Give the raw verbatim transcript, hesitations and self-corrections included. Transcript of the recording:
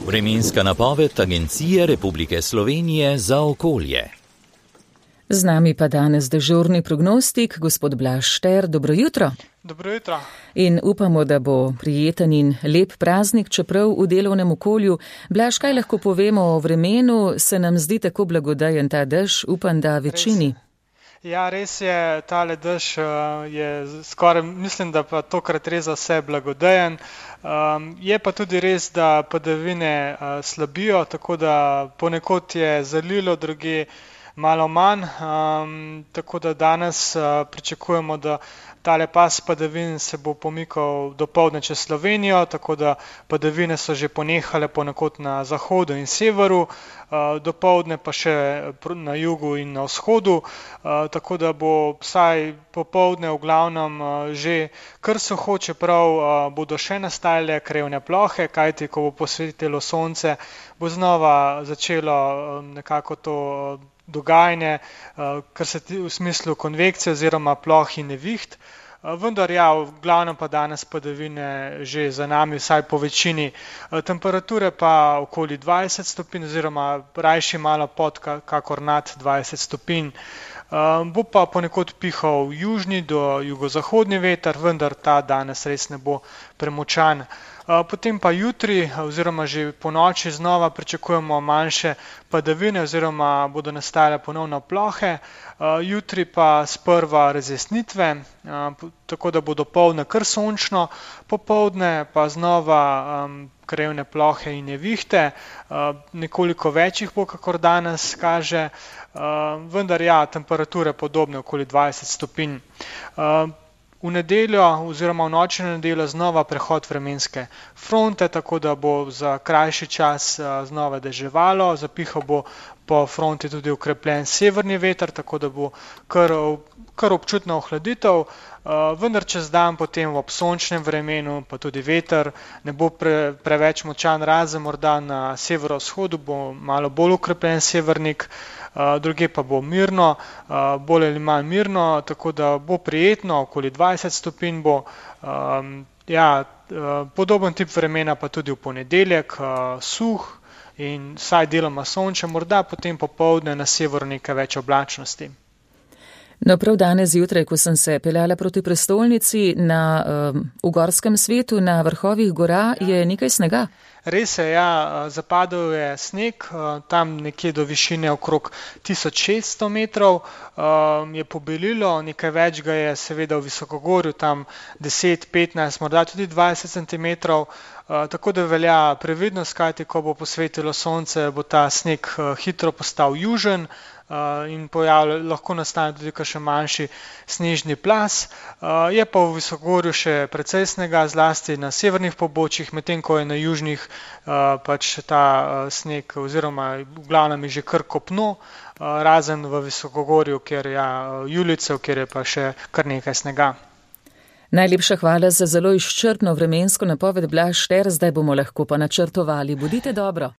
Vremenska napoved Agencije Republike Slovenije za okolje. Z nami pa danes dežurni prognostik, gospod Blaž Šter. Dobro jutro. Dobro jutro. In upamo, da bo prijeten in lep praznik, čeprav v delovnem okolju. Blaž, kaj lahko povemo o vremenu? Se nam zdi tako blagodajen ta dež, upam, da večini. Ja, res je, tale dež je skoraj, mislim, da pa tokrat res za vse blagodajen. Um, je pa tudi res, da padavine uh, slabijo, tako da ponekod je zalilo, druge malo manj, um, tako da danes uh, pričakujemo, da tale pas padavin se bo pomikal dopoldne čez Slovenijo, tako da padavine so že ponehale ponekod na zahodu in severu, uh, dopoldne pa še na jugu in na vzhodu, uh, tako da bo vsaj popoldne v glavnem uh, že kar suho, čeprav uh, bodo še nastajale krajevne plohe, kajti ko bo posvetilo sonce, bo znova začelo uh, nekako to uh, dogajanje, kar se v smislu konvekcije oziroma ploh in neviht. Vendar ja, v glavnem pa danes padavine že za nami, vsaj po večini. Temperature pa okoli dvajset stopinj oziroma rajši malo pod, kakor nad dvajset stopinj. Bo pa ponekod pihal južni do jugozahodni veter, vendar ta danes res ne bo premočan. Potem pa jutri oziroma že po noči znova pričakujemo manjše padavine oziroma bodo nastajale ponovno plohe. Jutri pa sprva razjasnitve, tako da bo dopoldne kar sončno, popoldne pa znova um, krajevne plohe in nevihte, nekoliko večjih bo, kakor danes kaže, vendar ja, temperature podobne, okoli dvajset stopinj. V nedeljo oziroma v noči na nedeljo znova prehod vremenske fronte, tako da bo za krajši čas znova deževalo, zapihal bo po fronti tudi ukrepljen severni veter, tako da bo kar, kar občutna ohladitev, vendar čez dan potem ob sončnem vremenu pa tudi veter ne bo pre, preveč močan, razen morda na severovzhodu bo malo bolj ukrepljen severnik, druge pa bo mirno, bolj ali manj mirno, tako da bo prijetno, okoli dvajset stopinj bo. Ja, podoben tip vremena pa tudi v ponedeljek, suh in vsaj deloma sončen, morda potem popoldne na severu nekaj več oblačnosti. No, prav danes zjutraj, ko sem se peljala proti prestolnici, na, um, v gorskem svetu, na vrhovih gora, je nekaj snega. Res je, ja, zapadel je sneg, tam nekje do višine okrog tisoč šeststo metrov, je pobelilo, nekaj več ga je seveda v visokogorju, tam deset, petnajst, morda tudi dvajset centimetrov, tako da velja previdnost, kajti ko bo posvetilo sonce, bo ta sneg hitro postal južen in pojavlja, lahko nastane tudi kakšen manjši snežni plas. Je pa v visokogorju še precej snega, zlasti na severnih pobočjih, medtem ko je na južnih pač ta sneg oziroma v glavnem je že kar kopno, razen v visokogorju, kjer je julicev, kjer je pa še kar nekaj snega. Najlepša hvala za zelo izčrpno vremensko napoved, Blaž Šter, zdaj bomo lahko pa načrtovali. Bodite dobro.